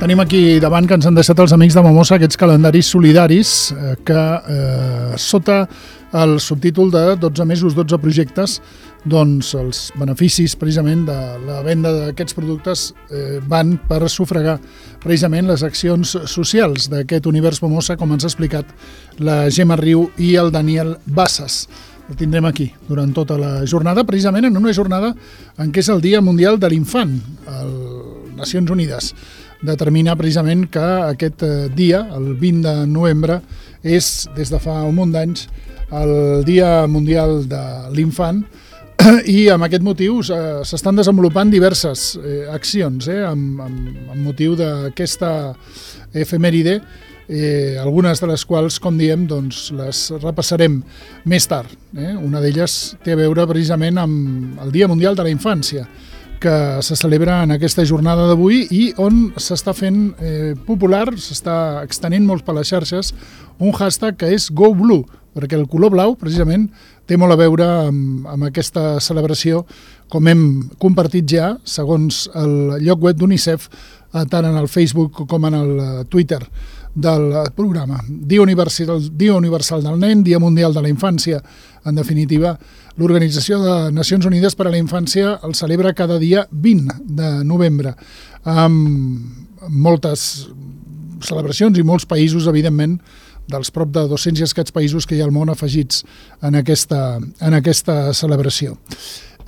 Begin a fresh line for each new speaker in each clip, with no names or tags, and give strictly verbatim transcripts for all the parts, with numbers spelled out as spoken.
Tenim aquí davant que ens han deixat els amics de Momosa aquests calendaris solidaris eh, que eh, sota el subtítol de dotze mesos, dotze projectes, doncs els beneficis precisament de la venda d'aquests productes eh, van per sufragar precisament les accions socials d'aquest univers Momosa, com ens ha explicat la Gemma Riu i el Daniel Bassas. El tindrem aquí durant tota la jornada, precisament en una jornada en què és el Dia Mundial de l'Infant. Les Nacions Unides determina precisament que aquest dia, el vint de novembre, és, des de fa un munt d'anys, el Dia Mundial de l'Infant, i amb aquest motiu s'estan desenvolupant diverses eh, accions eh, amb, amb, amb motiu d'aquesta efemèride, eh, algunes de les quals, com diem, doncs, les repassarem més tard. Eh? Una d'elles té a veure precisament amb el Dia Mundial de la Infància, que se celebra en aquesta jornada d'avui i on s'està fent eh, popular, s'està extenent molt per les xarxes, un hashtag que és Go Blue, perquè el color blau, precisament, té molt a veure amb, amb aquesta celebració, com hem compartit ja, segons el lloc web d'UNICEF, tant en el Facebook com en el Twitter del programa. Dia Universal, Dia Universal del Nen, Dia Mundial de la Infància. En definitiva, l'Organització de Nacions Unides per a la Infància el celebra cada dia vint de novembre, amb moltes celebracions i molts països, evidentment, dels prop de dos-cents i escaig països que hi ha al món afegits en aquesta, en aquesta celebració.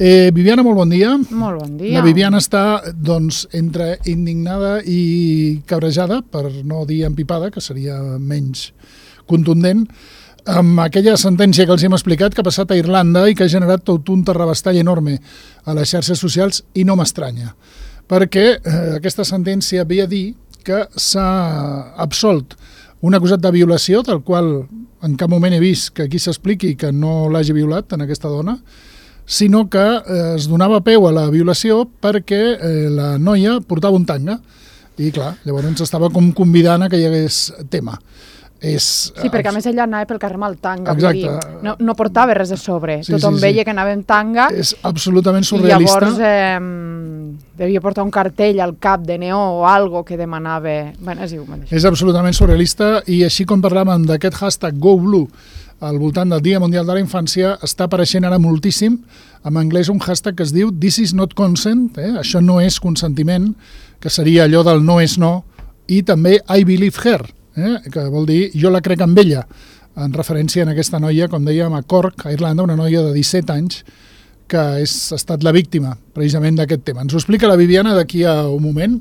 Eh, Viviana, molt bon dia.
Molt bon dia.
La Viviana està, doncs, entre indignada i cabrejada, per no dir empipada, que seria menys contundent, amb aquella sentència que els hem explicat que ha passat a Irlanda i que ha generat tot un terrabastall enorme a les xarxes socials, i no m'estranya, perquè eh, aquesta sentència ve a dir que s'ha absolt un acusat de violació, del qual en cap moment he vist que aquí s'expliqui que no l'hagi violat en aquesta dona, sinó que eh, es donava peu a la violació perquè eh, la noia portava un tanga i, clar, llavors estava com convidant a que hi hagués tema. És,
sí, perquè a més ella anava pel carrer amb el tanga.
Exacte.
Dir, no, no portava res de sobre.
Sí,
Tothom
sí, sí.
veia que anava amb tanga.
És absolutament surrealista.
I llavors eh, devia portar un cartell al cap de neó o algo que demanava... Bueno, és igual.
És absolutament surrealista, i així com parlàvem d'aquest hashtag Go Blue al voltant del Dia Mundial de la Infància, està apareixent ara moltíssim en anglès un hashtag que es diu This is not consent, eh? Això no és consentiment, que seria allò del no és no, i també I believe her, eh? Que vol dir jo la crec amb ella, en referència a aquesta noia, com dèiem, a Cork, a Irlanda, una noia de disset anys, que és, ha estat la víctima precisament d'aquest tema. Ens ho explica la Viviana d'aquí a un moment.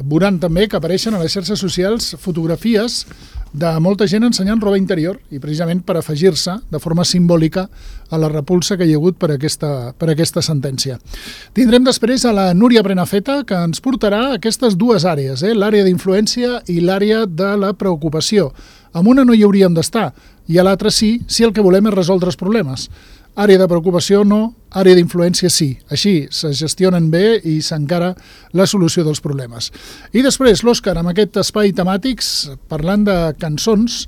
Veuran també que apareixen a les xarxes socials fotografies de molta gent ensenyant roba interior, i precisament per afegir-se de forma simbòlica a la repulsa que hi ha hagut per aquesta, per aquesta sentència. Tindrem després a la Núria Prenafeta, que ens portarà aquestes dues àrees, eh? L'àrea d'influència i l'àrea de la preocupació. Amb una no hi hauríem d'estar, i a l'altra sí, si el que volem és resoldre els problemes. Àrea de preocupació no, àrea d'influència sí. Així se gestionen bé i s'encara la solució dels problemes. I després l'Òscar, amb aquest espai temàtics, parlant de cançons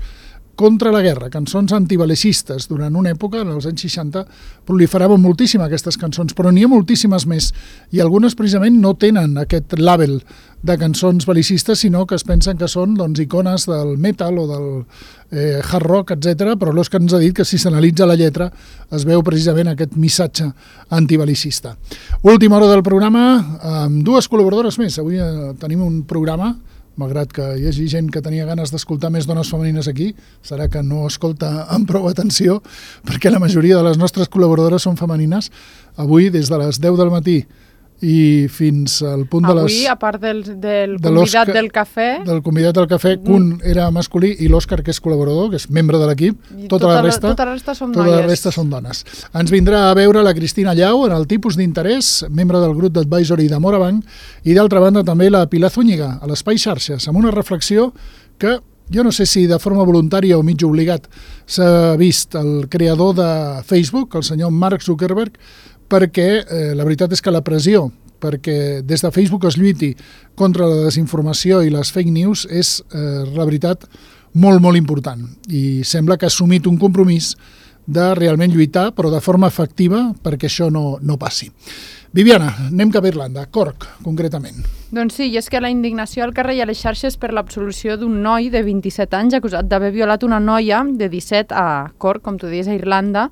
contra la guerra, cançons antibelicistes. Durant una època, en els anys seixanta, proliferaven moltíssim aquestes cançons, però n'hi ha moltíssimes més, i algunes precisament no tenen aquest label de cançons belicistes, sinó que es pensen que són, doncs, icones del metal o del eh, hard rock, etcètera, però l'Òscar ens ha dit que si s'analitza la lletra es veu precisament aquest missatge antibelicista. Última hora del programa, amb dues col·laboradores més. Avui eh, tenim un programa, malgrat que hi hagi gent que tenia ganes d'escoltar més dones femenines aquí, serà que no escolta amb prou atenció, perquè la majoria de les nostres col·laboradores són femenines. Avui, des de les deu del matí i fins al punt de les...
Avui, a part del, del
de
convidat del cafè...
Del convidat del cafè, un era masculí i l'Òscar, que és col·laborador, que és membre de l'equip. Tota, tota, la resta,
tota la resta són
tota
noies.
La resta són dones. Ens vindrà a veure la Cristina Llau en el tipus d'interès, membre del grup d'advisory de Morabanc, i d'altra banda també la Pilar Zúñiga, a l'Espai Xarxes, amb una reflexió que jo no sé si de forma voluntària o mig obligat s'ha vist el creador de Facebook, el senyor Mark Zuckerberg, perquè eh, la veritat és que la pressió perquè des de Facebook es lluiti contra la desinformació i les fake news és, eh, la veritat, molt, molt important. I sembla que ha assumit un compromís de realment lluitar, però de forma efectiva, perquè això no, no passi. Viviana, anem cap a Irlanda, Cork, concretament.
Doncs sí, i és que la indignació al carrer i a les xarxes per l'absolució d'un noi de vint-i-set anys acusat d'haver violat una noia de disset a Cork, com tu dius, a Irlanda.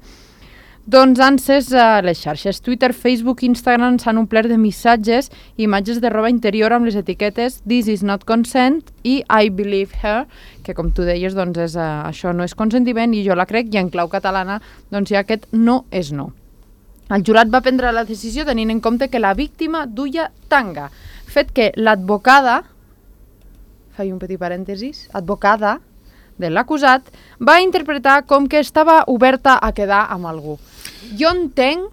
Doncs han ses a les xarxes Twitter, Facebook, Instagram s'han omplert de missatges i imatges de roba interior amb les etiquetes This is not consent i I believe her, que com tu deies, doncs és, uh, això no és consentiment i jo la crec, i en clau catalana doncs hi ha aquest no és no. El jurat va prendre la decisió tenint en compte que la víctima duia tanga, fet que l'advocada, faig un petit parèntesis, advocada de l'acusat, va interpretar com que estava oberta a quedar amb algú. Jo entenc,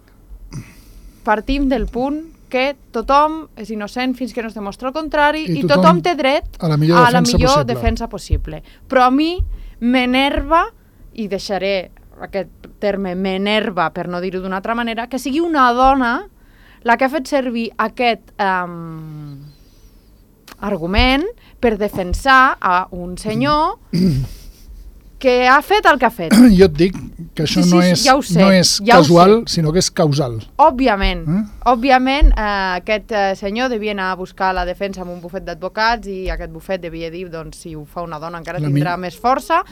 partim del punt que tothom és innocent fins que no es demostra el contrari i, i tothom, tothom té dret
a la millor,
a la
defensa,
millor
possible.
defensa possible. Però a mi m'enerva, i deixaré aquest terme m'enerva per no dir-ho d'una altra manera, que sigui una dona la que ha fet servir aquest um, argument per defensar a un senyor que ha fet el que ha fet.
Jo et dic que això
sí, sí,
no és,
ja sé,
no és
ja
casual, sinó que és causal.
Òbviament,
eh?
òbviament eh, aquest eh, senyor devia anar a buscar la defensa amb un bufet d'advocats i aquest bufet devia dir, doncs, si ho fa una dona encara
la
tindrà mi... més força,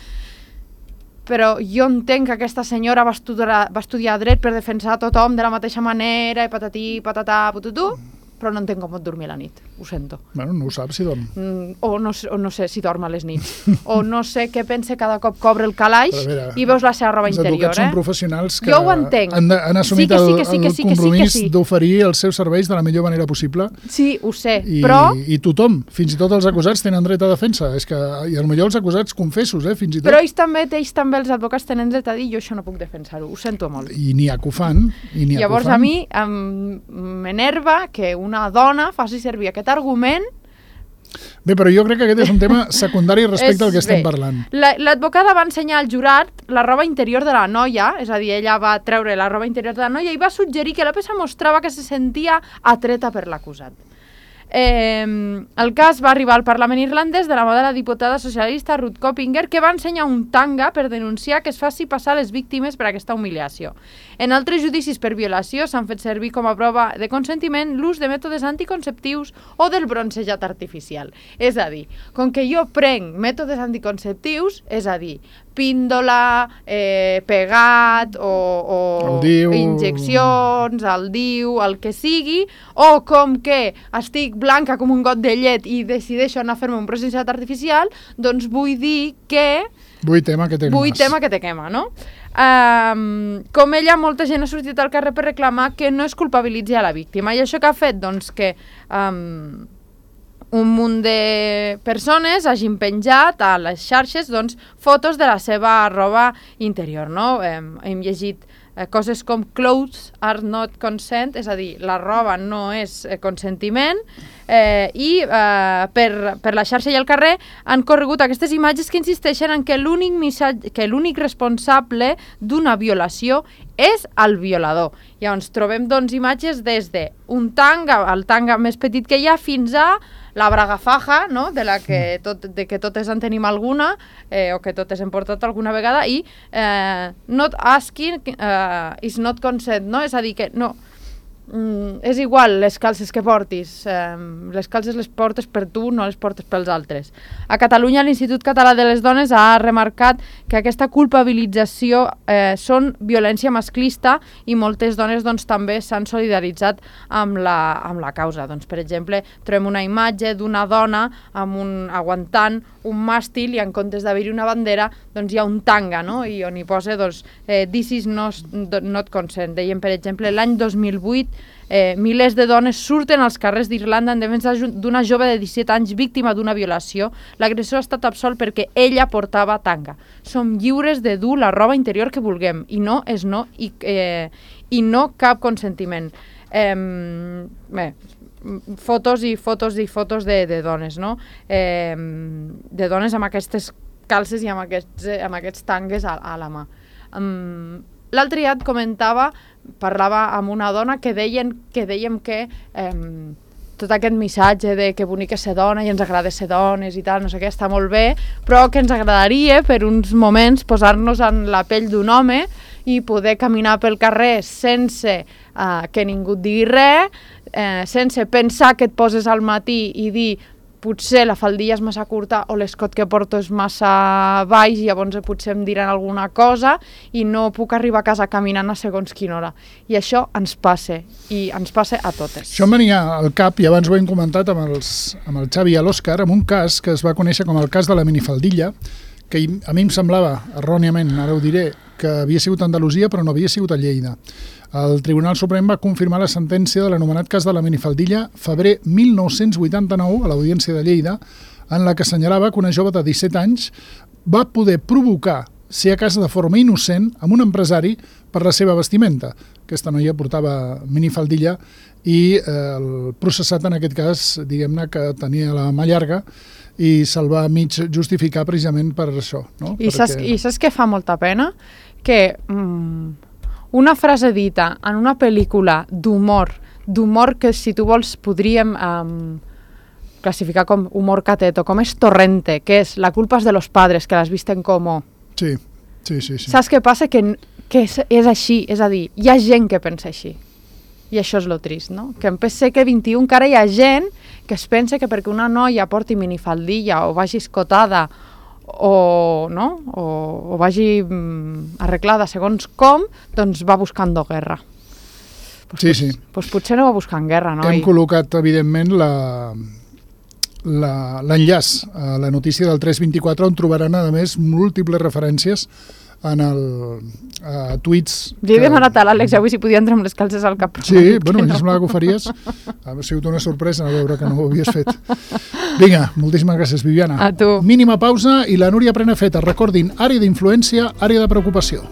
però jo entenc que aquesta senyora va estudiar, va estudiar dret per defensar tothom de la mateixa manera, i patatí, patatà, pututú, però no entenc com pot dormir a la nit, ho sento.
Bueno, no ho saps si dorm.
Mm, o, no, o no sé si dorm a les nits, o no sé què pensa cada cop que obre el calaix
veure,
i veus la seva roba interior.
Els advocats
eh?
són professionals que
jo ho entenc.
han, de, han assumit
sí sí sí
el,
sí
el compromís
sí sí.
d'oferir els seus serveis de la millor manera possible.
Sí, ho sé,
I,
però...
I tothom, fins i tot els acusats tenen dret a defensa. És que, i potser els acusats confessos, eh, fins i tot.
Però ells també, ells també, els advocats, tenen dret a dir jo això no puc defensar-ho, ho sento molt.
I n'hi ha que ho fan. I n'hi ha
Llavors
que ho fan.
a mi m'enerva que una dona faci servir aquest argument.
Bé, però jo crec que aquest és un tema secundari respecte al que estem
bé.
parlant.
L'advocada va ensenyar al jurat la roba interior de la noia, és a dir, ella va treure la roba interior de la noia i va suggerir que la peça mostrava que se sentia atreta per l'acusat. Eh, el cas va arribar al Parlament irlandès de la mà de la diputada socialista Ruth Coppinger, que va ensenyar un tanga per denunciar que es faci passar les víctimes per aquesta humiliació. En altres judicis per violació s'han fet servir com a prova de consentiment l'ús de mètodes anticonceptius o del bronzejat artificial. És a dir, com que jo prenc mètodes anticonceptius, és a dir, píndola, eh, pegat o, o
el diu...
injeccions, el diu, el que sigui, o com que estic blanca com un got de llet i decideixo anar a fer-me un bronzejat artificial, doncs vull dir que...
Vull tema que te
Vull
quemes.
tema que te quema, no? Um, com ella, molta gent ha sortit al carrer per reclamar que no es culpabilitzi a la víctima. I això que ha fet? Doncs que um, un munt de persones hagin penjat a les xarxes doncs, fotos de la seva roba interior, no? Hem, hem llegit eh, coses com clothes are not consent, és a dir, la roba no és eh, consentiment, eh, i eh, per, per la xarxa i el carrer han corregut aquestes imatges que insisteixen en que l'únic missatge, que l'únic responsable d'una violació és el violador. Llavors trobem doncs imatges des de un tanga, el tanga més petit que hi ha, fins a la braga faja, no? de la que, tot, de que totes en tenim alguna, eh, o que totes hem portat alguna vegada, i eh, not asking uh, is not consent, no? És a dir, que no, mm, és igual les calces que portis, eh, les calces les portes per tu, no les portes pels altres. A Catalunya l'Institut Català de les Dones ha remarcat que aquesta culpabilització eh, són violència masclista i moltes dones doncs, també s'han solidaritzat amb la, amb la causa. Doncs, per exemple, trobem una imatge d'una dona amb un, aguantant un màstil i en comptes d'haver-hi una bandera doncs hi ha un tanga, no? I on hi posa doncs, eh, this is not, not consent. Deien, per exemple, l'any dos mil vuit eh, milers de dones surten als carrers d'Irlanda en defensa d'una jove de disset anys víctima d'una violació. L'agressor ha estat absolt perquè ella portava tanga. Som lliures de dur la roba interior que vulguem i no és no i, eh, i no cap consentiment. Eh, bé, fotos i fotos i fotos de, de dones, no? Eh, de dones amb aquestes calces i amb aquests, amb aquests tangues a, a la mà. Um, L'altre dia et comentava, parlava amb una dona que deien que dèiem que eh, tot aquest missatge de que bonic és ser dona i ens agrada ser dones i tal, no sé què, està molt bé, però que ens agradaria per uns moments posar-nos en la pell d'un home i poder caminar pel carrer sense uh, que ningú et digui res, eh, sense pensar que et poses al matí i dir potser la faldilla és massa curta o l'escot que porto és massa baix i llavors potser em diran alguna cosa i no puc arribar a casa caminant a segons quina hora. I això ens passa, i ens passa a totes.
Això em venia al cap, i abans ho hem comentat amb, els, amb el Xavi i l'Òscar, amb un cas que es va conèixer com el cas de la minifaldilla, que a mi em semblava, erròniament, ara ho diré, que havia sigut a Andalusia però no havia sigut a Lleida. El Tribunal Suprem va confirmar la sentència de l'anomenat cas de la minifaldilla febrer mil nou-cents vuitanta-nou a l'Audiència de Lleida, en la que assenyalava que una jove de disset anys va poder provocar, si a casa de forma innocent, amb un empresari per la seva vestimenta. Aquesta noia portava minifaldilla i eh, el processat en aquest cas, diguem-ne que tenia la mà llarga i se'l va mig justificar precisament per això. No?
I,
Perquè...
saps, I saps què fa molta pena? Que mm, una frase dita en una pel·lícula d'humor, d'humor que si tu vols podríem um, classificar com humor cateto, com és torrente, que és la culpa és de los padres, que las visten como...
Sí, sí, sí. sí.
Saps què passa? Que, que és, és així, és a dir, hi ha gent que pensa així. I això és lo trist, no? Que en segle vint-i-u encara hi ha gent que es pensa que perquè una noia porti minifaldilla o vagi escotada o, no? o, o vagi mm, arreglada segons com, doncs va buscant guerra. Pues,
sí, sí.
Doncs pues potser no va buscant guerra, no?
Hem col·locat, evidentment, la... l'enllaç a la notícia del tres vint-i-quatre on trobaran, a més, múltiples referències en el a tuits...
Li he demanat a l'Àlex avui si podia entrar amb les calces al cap.
Sí, bueno, no. Em semblava que ho faries. Ha sigut una sorpresa a veure que no ho havies fet. Vinga, moltíssimes gràcies, Viviana.
A tu.
Mínima pausa i la Núria Prenafeta. Recordin, àrea d'influència, àrea de preocupació.